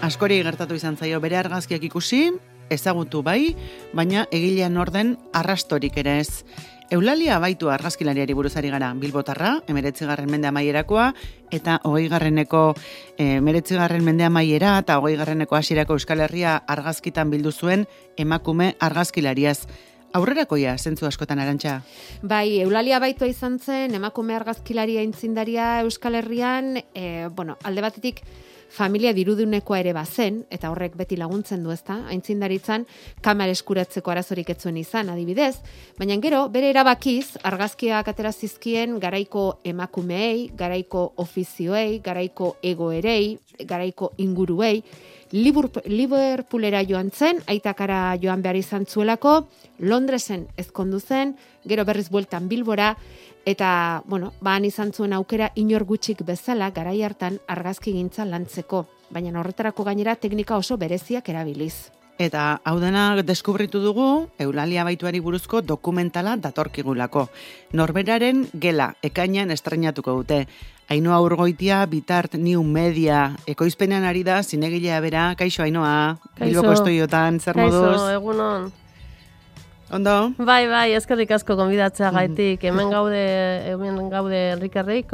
askori gertatu izan zaio bere argazkiak ikusi, ezagutu bai, baina egilean orden arrastorik ere ez. Eulalia Abaitua argazkilariari buruzari gara, Bilbotarra, 19. mende amaierakoa, eta 20. 19. mende amaiera eta 20. hasierako Euskal Herria argazkitan bildu zuen emakume argazkilariaz. Aurrerakoia, zentzu askotan, Arantxa? Bai, Eulalia Abaitua izan zen, emakume argazkilaria aitzindaria Euskal Herrian, alde batetik, familia dirudunekoa ere bazen, eta horrek beti laguntzen du, ezta? Aintzindaritzan kamera eskuratzeko arazorik ez zuen izan, adibidez, baina gero, bere erabakiz, argazkiak atera zizkien garaiko emakumeei, garaiko ofizioei, garaiko egoerei, garaiko inguruei, Liverpoolera joan zen, aitakara joan behar izan zuelako, Londresen ezkondu zen, gero berriz bueltan Bilbora, eta, han izan zuen aukera inor gutxik bezala garai hartan argazki gintza lantzeko, baina horretarako gainera teknika oso bereziak erabiliz. Eta hau dena deskubritu dugu, Eulalia Abaituari buruzko dokumentala datorkigulako. Norberaren gela, ekainean estreinatuko dute. Ainhoa Urgoitia, Bitart New Media, ekoizpenean ari da, zinegilea bera. Kaixo, Ainhoa, Bilboko Estudiotan, zer moduz? Kaixo, egunon. Ondo? Bai, eskerrik asko gonbidatzea gaitik. Hemen gaude Enrikerrik,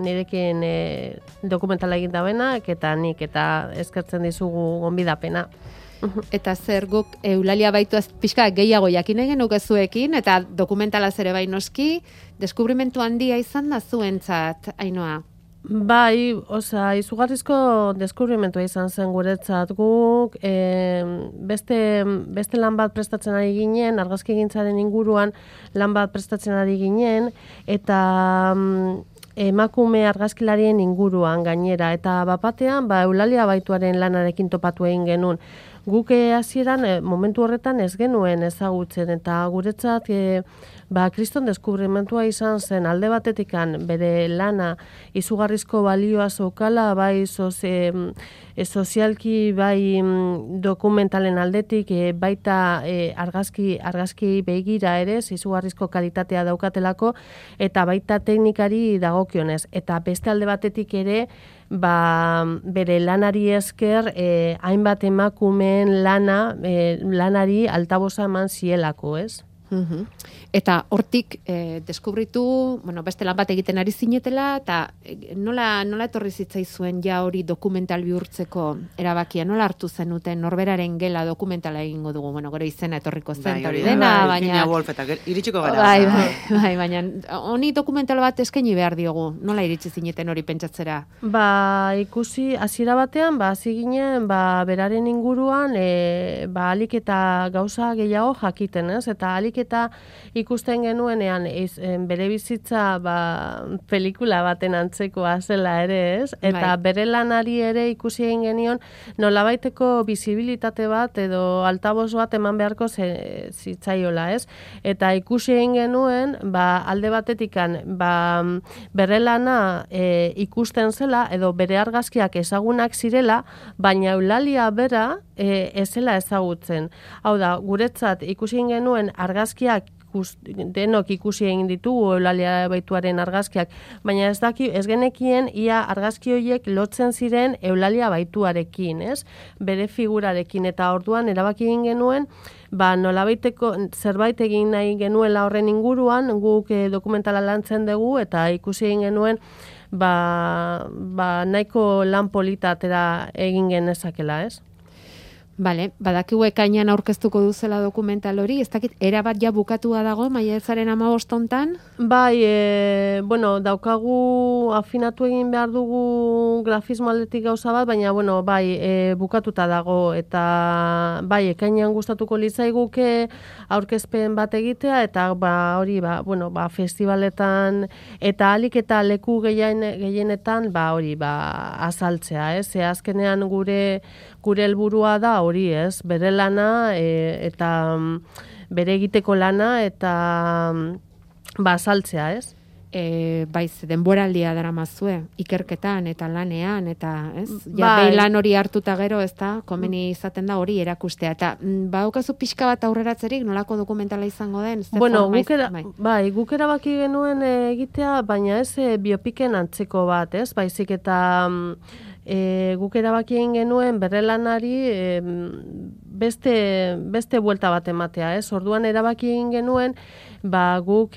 nirekin dokumentala egin dabenak, eta nik eta eskertzen dizugu gonbidapena. Eta zer guk Eulalia Abaitua pixka gehiago jakin egin zuekin, eta dokumentala zere bai noski, deskubrimentu handia izan da zuentzat, Ainhoa? Bai, izugarrizko deskubrimentua izan zen guretzat guk, beste lan bat prestatzen ari ginen, argazkigintzaren inguruan lan bat prestatzen ari ginen, eta emakume argazkilarien inguruan gainera, eta bapatean Eulalia Abaituaren lanarekin topatu egin genuen. Guk hasieran momentu horretan ez genuen ezagutzen, eta guretzat kriston deskubrimentua izan zen alde batetikan bere lana izugarrizko balioa zeukala, bai sozialki, bai dokumentalen aldetik, baita argazki begira ere, izugarrizko kalitatea daukatelako, eta baita teknikari dagokionez. Eta beste alde batetik ere, bere lanari esker, hainbat emakumeen lanari altabosa eman zielako, ez? Eta hortik deskubritu, beste lan bat egiten ari zinetela, eta nola etorri zitzaizuen ja hori dokumental bihurtzeko erabakia, nola hartu zenuten Norberaren gela dokumentala egingo dugu, gero izena etorriko zen, hori dena, baina... iritsiko gara. Bai, baina honi dokumental bat eskaini behar diogu, nola iritsi zineten hori pentsatzera? Ikusi, hasiera batean, hasi ginen, beraren inguruan, alik eta gauza gehiago jakiten, ez? Eta alik eta ikusten genuenean bere bizitza pelikula baten antzekoa zela ere, ez? Eta bere lanari ere ikusi egin genion nolabaiteko bizibilitate bat edo altaboz bat eman beharko zitzaiola, ez? Eta ikusi egin genuen, alde batetikan, bere lana ikusten zela edo bere argazkiak ezagunak zirela, baina Eulalia bera ez zela ezagutzen. Hau da, guretzat ikusi egin genuen argazkiak denok ikusi egin ditugu Eulalia Abaituaren argazkiak, baina ez genekien ia argazki horiek lotzen ziren Eulalia Abaituarekin, ez? Bere figurarekin, eta orduan erabaki egin genuen, nolabaiteko zerbait egin nahi genuela horren inguruan, guk dokumentala lantzen dugu, eta ikusi egin genuen nahiko lan politatera egin genezakela, ez? Bale, badakigu ekainean aurkeztuko duzela dokumental hori, ez dakit, erabat ja bukatua dago, maiatzaren 15 hontan? Bai, daukagu afinatu egin behar dugu grafismo aldetik gauza bat, baina, bukatuta dago, eta ekainean gustatuko litzaiguke aurkezpen bat egitea, eta festivaletan, eta alik eta leku gehienetan, azaltzea, ez? Azkenean gure helburua da hori, ez? Bere lana eta bere egiteko lana eta azaltzea, ez? Denboraldia daramazue, ikerketan eta lanean, eta ez? Behin lan hori hartuta gero, ez da, komeni izaten da hori erakustea. Eta badaukazu pixka bat aurreratzerik, nolako dokumentala izango den? Guk erabaki genuen egitea, baina ez biopiken antzeko bat, ez? Baizik eta guk erabaki egin genuen bere lanari beste buelta bat ematea, ez? Orduan erabaki egin genuen, guk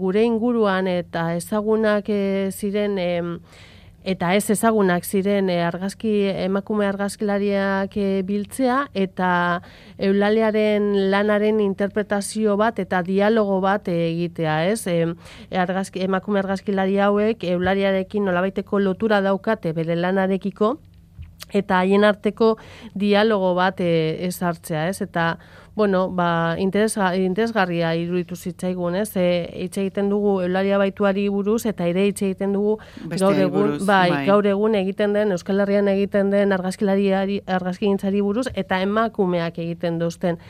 gure inguruan eta ezagunak ziren eta ez ezagunak ziren emakume argazkilariak biltzea eta Eulaliaren lanaren interpretazio bat eta dialogo bat egitea, ez? Emakume argazkilari hauek Eulaliarekin nolabaiteko lotura daukate bere lanarekiko eta haien arteko dialogo bat ezartzea, ez? Eta interesgarria iruditu zitzaigun, ez? Hitz egiten dugu Eulalia Baituari buruz eta ere hitz egiten dugu gaur egun egiten den Euskal Herrian egiten den argazkigintzari buruz eta emakumeak egiten duzten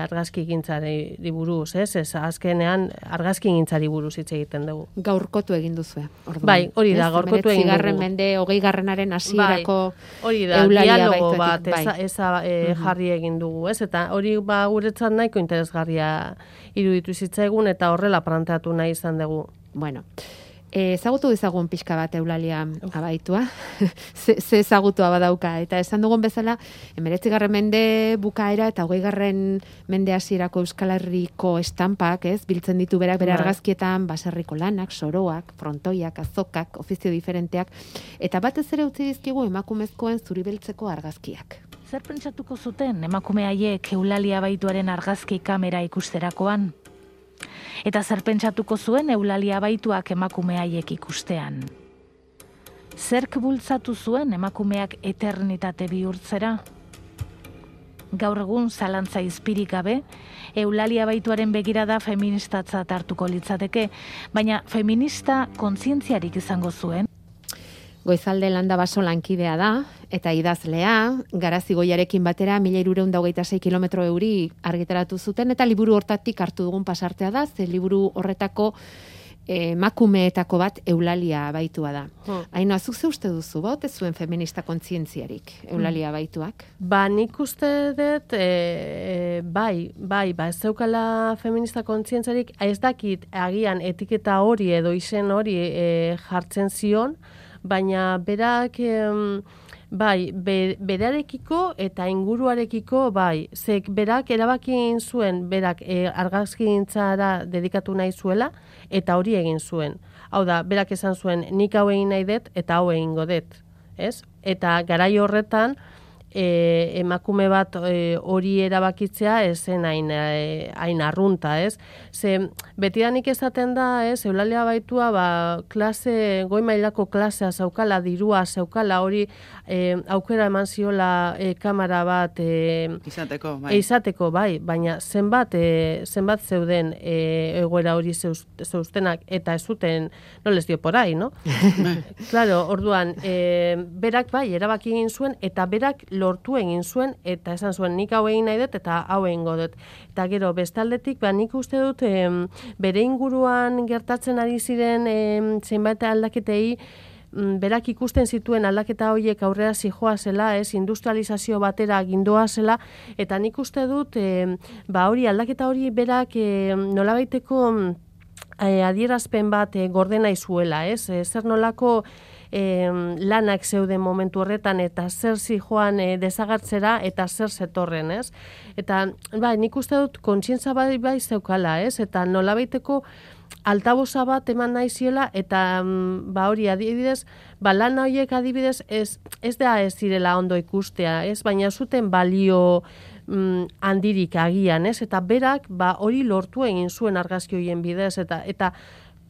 argazkigintzari buruz, ez? Azkenean argazkigintzari buruz hitz egiten dugu. Gaurkotu egin duzue. Bai, hori da, gaurkotu egin dugu. 19. mende 20. hasierako hori da, dialogo bat jarri egin dugu, ez? Eta hori guretzat nahiko interesgarria iruditu zitzaigun eta horrela planteatu nahi izan dugu. Bueno, ezagutu ezagun pixka bat Eulalia Abaitua, ze ezagutua badauka, eta esan dugun bezala, 19. mende bukaera eta 20. mende hasierako Euskal Herriko estampak, ez, biltzen ditu berak bere argazkietan, baserriko lanak, soroak, frontoiak, azokak, ofizio diferenteak, eta batez ere utzi dizkigu emakumezkoen zuribeltzeko argazkiak. Zer pentsatuko zuten emakume haiek Eulalia Baituaren argazki kamera ikusterakoan? Eta zer pentsatuko zuen Eulalia Baituak emakume haiek ikustean? Zerk bultzatu zuen emakumeak eternitate bihurtzera? Gaur egun zalantza izpirik gabe, Eulalia Baituaren begirada feministatzat hartuko litzateke, baina feminista kontzientziarik izango zuen? Goizalde Landabaso lankidea da, eta idazlea, Garazi Goiarekin batera 1326 kilometro euri argitaratu zuten, eta liburu hortatik hartu dugun pasartea da, ze liburu horretako emakumeetako bat Eulalia Baitua da. Aino, azuk ze uste duzu, ez zuen feminista kontzientziarik Eulalia Baituak? Nik uste dut, ez zeukala feminista kontzientziarik, ez dakit agian etiketa hori edo izen hori jartzen zion, baina berak berarekiko eta inguruarekiko zek berak erabakin zuen berak argazkigintzara dedikatu nahi zuela eta hori egin zuen. Hau da, berak esan zuen nik hau egin nahi dut eta hau egingo dut, ez? Eta garai horretan emakume bat hori erabakitzea esen hain arrunta, ez? Ze betidanik esaten da, ez, Eulalia Baitua goi mailako klasea zaukala, dirua zaukala, hori aukera eman ziola kamera bat izateko, baina zenbat zeuden egoera hori zeuztenak eta ez zuten, no les dio por ahí, no? Claro, orduan, berak erabaki egin zuen eta berak lortu egin zuen eta esan zuen nik hau egin nahi dut eta hau egingo dut. Eta gero bestaldetik nik uste dut bere inguruan gertatzen ari ziren zenbait aldaketei berak ikusten zituen aldaketa horiek aurrera zijoa zela, industrializazio batera gindoa zela, eta nik uste dut aldaketa hori berak nolabaiteko adierazpen bat gordena izuela, zer nolako lanak zeuden momentu horretan eta zer zijoan desagertzera eta zer zetorren, ez? Eta nik uste dut kontzientza bai zeukala, ez? Eta nolabaiteko altaboza bat eman nahi ziela eta hori adibidez, lan horiek adibidez ez da ez zirela ondo ikustea, ez? Baina zuten balio handirik agian, ez? Eta berak hori lortu egin zuen argazki horien bidez eta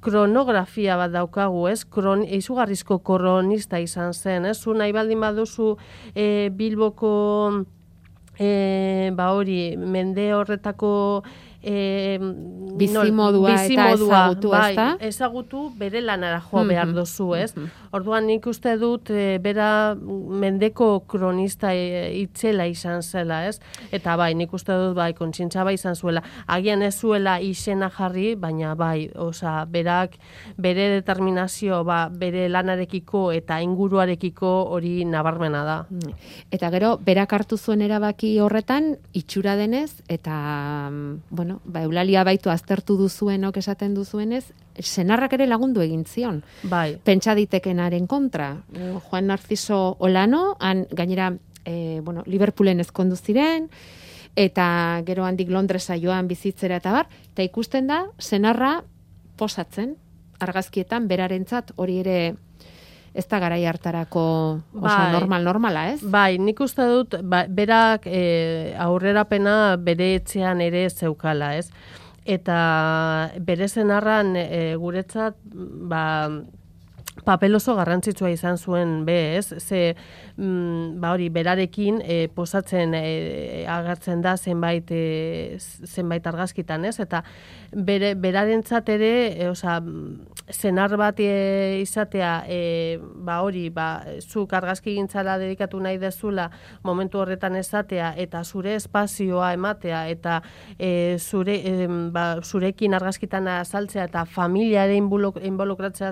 kronografia bat daukagu, ez? Izugarrizko kronista izan zen, ez? Zu nahi baldin baduzu Bilboko mende horretako bizimodua eta ezagutu, ezta? Ezagutu bere lanara joa behar dozu, ez? Orduan nik uste dut bera mendeko kronista itzela izan zela, ez? Eta nik uste dut kontzientza izan zuela. Agian ez zuela izena jarri, baina berak bere determinazio bere lanarekiko eta inguruarekiko hori nabarmena da. Eta gero, berak hartu zuen erabaki horretan, itxura denez, eta, bueno, Eulalia Abaitu aztertu duzuenok esaten duzuenez, senarrak ere lagundu egin zion. Bai. Pentsa ditekenaren kontra. Juan Narciso Olano, han gainera, Liverpoolen ezkondu ziren, eta gero handik Londresa joan bizitzera eta bar, eta ikusten da, senarra posatzen, argazkietan, berarentzat hori ere ez da garai hartarako oso normala, ez? Bai, nik uste dut, berak aurrerapena bere etxean ere zeukala, ez? Eta bere senarran guretzat, papel oso garrantzitsua izan zuen ez? Ze, hori, berarekin posatzen agertzen da zenbait argazkitan, ez? Eta berarentzat ere, senar bat izatea, zuk argazkigintzara dedikatu nahi dezula momentu horretan esatea, eta zure espazioa ematea, eta zurekin argazkitan azaltzea, eta familiare involukratzea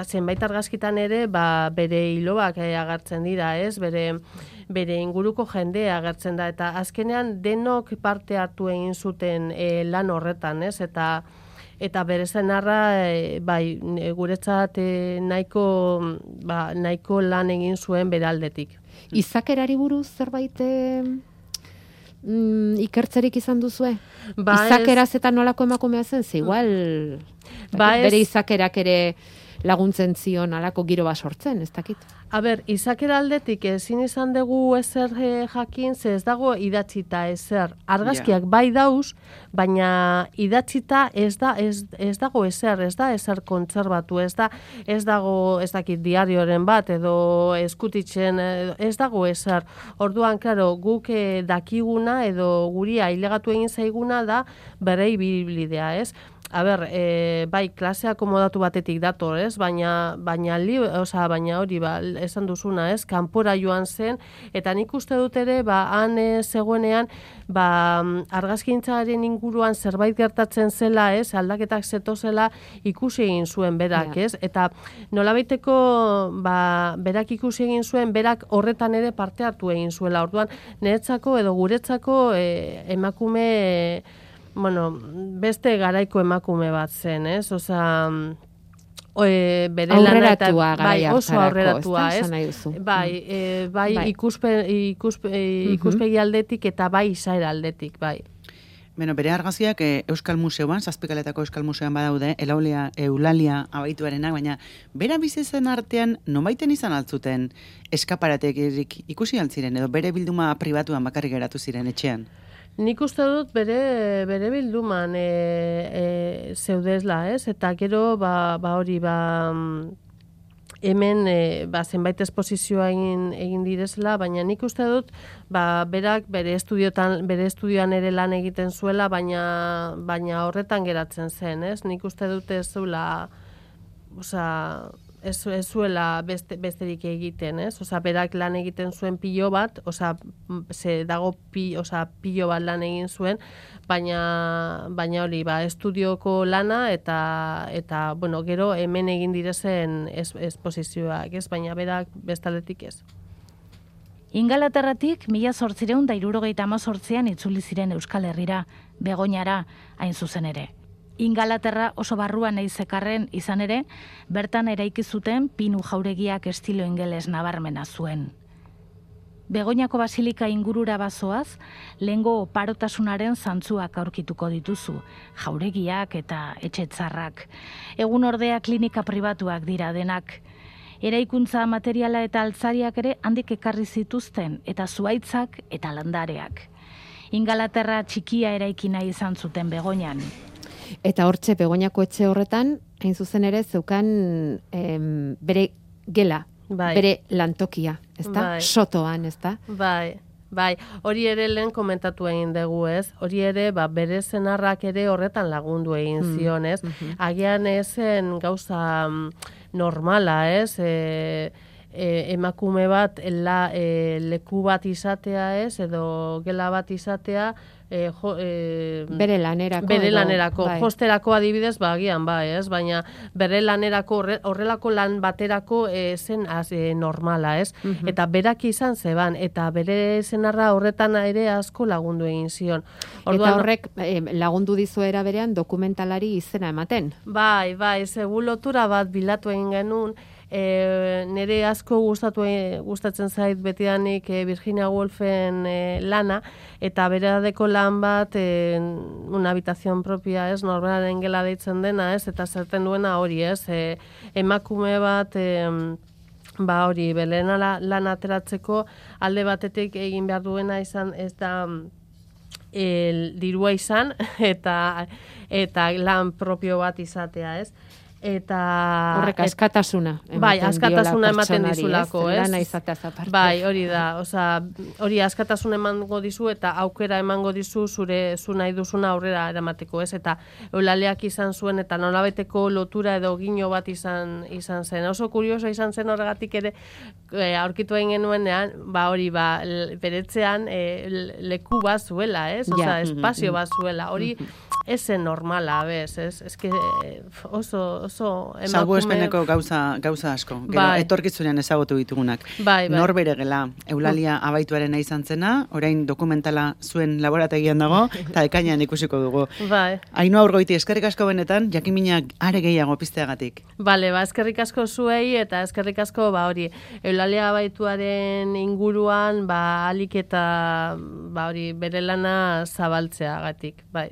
zenbait argazkitan ere, bere hiloak agertzen dira, ez? Bere inguruko jendea agertzen da, eta azkenean denok parte hartu egin zuten lan horretan, ez? Eta bere senarra, guretzat nahiko lan egin zuen bere aldetik. Izakerari buruz zerbait ikertzerik izan duzue? Izakeraz eta nolako emakumea zen, ze igual bere izakerak ere laguntzen zion alako giro bat sortzen, ez dakit. Izakera aldetik ezin izan dugu ezer jakin, ze ez dago idatzita ezer. Argazkiak bai dauz, baina idatzita ez dago ezer, ez da ezer kontserbatu, ez dago, ez dakit, diarioren bat, edo eskutitzen, ez dago ezer. Orduan, klaro, guk dakiguna, edo guri ailegatu egin zaiguna da bere ibilbidea, ez? Bai, klasea akomodatu batetik dator, ez? Baina hori, esan duzuna, ez? Kanpora joan zen, eta nik uste dut ere, han zegoenean, argazkintzaren inguruan zerbait gertatzen zela, ez? Aldaketak zetozela ikusi egin zuen berak, ez? Eta nolabaiteko, berak ikusi egin zuen, berak horretan ere parte hartu egin zuela. Orduan, niretzako edo guretzako emakume, beste garaiko emakume bat zen, ez? Bere aurreratua garai hartarako, oso aurreratua, ez? Ikuspegi aldetik eta bai izaera aldetik, bai. Bere argazkiak Euskal Museoan, Zazpikaletako Euskal Museoan badaude, Eulalia Abaituarenak, baina bera bizitzen artean nomaiten izan altzuten eskaparaterik ikusi altziren, edo bere bilduma pribatuan bakarrik geratu ziren etxean? Nik uste dut bere bilduman zeudezla, ez? Eta gero, hemen zenbait esposizioa egin direzela, baina nik uste dut berak bere estudioan ere lan egiten zuela, baina horretan geratzen zen, ez? Nik uste dut ez zuela, ez zuela besterik egiten, ez? Berak lan egiten zuen pilo bat, pilo bat lan egin zuen, baina hori, estudioko lana eta gero hemen egin direzen esposizioak, ez? Baina berak bestaletik ez. Ingalaterratik 1878an itzuli ziren Euskal Herrira, Begoñara, hain zuzen ere. Ingalaterra oso barruan nahi zekarren izan ere, bertan eraiki zuten pinu jauregiak estilo ingeles nabarmena zuen. Begoñako basilika ingurura bazoaz, lehengo oparotasunaren zantzuak aurkituko dituzu, jauregiak eta etxetzarrak. Egun ordea klinika pribatuak dira denak. Eraikuntza materiala eta altzariak ere handik ekarri zituzten, eta zuaitzak eta landareak. Ingalaterra txikia eraiki nahi izan zuten Begoñan. Eta hortxe, Begoñako etxe horretan, hain zuzen ere, zeukan bere gela, bere lantokia, ezta? Sotoan, ezta? Bai, hori ere lehen komentatu egin dugu, ez? Hori ere, bere senarrak ere horretan lagundu egin zion, ez? Agian ezen gauza normala, ez? emakume bat leku bat izatea, ez, edo gela bat izatea, bere lanerako. Bere lanerako, josterako adibidez, agian ez, baina bere lanerako horrelako lan baterako zen normala, ez? Eta berak izan zeban, eta bere senarra horretan ere asko lagundu egin zion. Eta horrek lagundu dizuera berean dokumentalari izena ematen. Bai, segu lotura bat bilatu egin genuen, nire asko gustatzen zait betidanik Virginia Woolfen lana, eta beradeko lan bat una habitación propia, ez, norberaren gela deitzen dena, ez, eta zerten duena hori, ez, emakume bat hori, belena lan ateratzeko alde batetik egin behar duena izan, ez da dirua izan, eta lan propio bat izatea, ez. Eta horrek askatasuna askatasuna ematen dizulako, ez? Lana izateaz aparte. Bai, hori da, hori askatasuna emango dizu eta aukera emango dizu zu nahi duzuna aurrera eramateko, ez? Eta Eulaliak izan zuen eta nolabeteko lotura edo gino bat izan zen. Oso kurioso izan zen horregatik ere aurkitu egin genuenean, hori beretzean leku bat zuela, ez? Espazio bat zuela. Hori esen normala, bez, ez? Eske oso emakume... Salbuespeneko gauza asko. Gero, etorkizunean ezagutu ditugunak. Norbere gela, Eulalia abaituaren izan zena, orain dokumentala zuen laborategian dago, eta ekainean ikusiko dugu. Ainhoa Urgoiti, eskerrik asko benetan, jakiminak are gehiago pizteagatik. Eskerrik asko zuei, eta eskerrik asko, hori, Eulalia abaituaren inguruan, alik eta, hori, bere lana zabaltzeagatik, bai.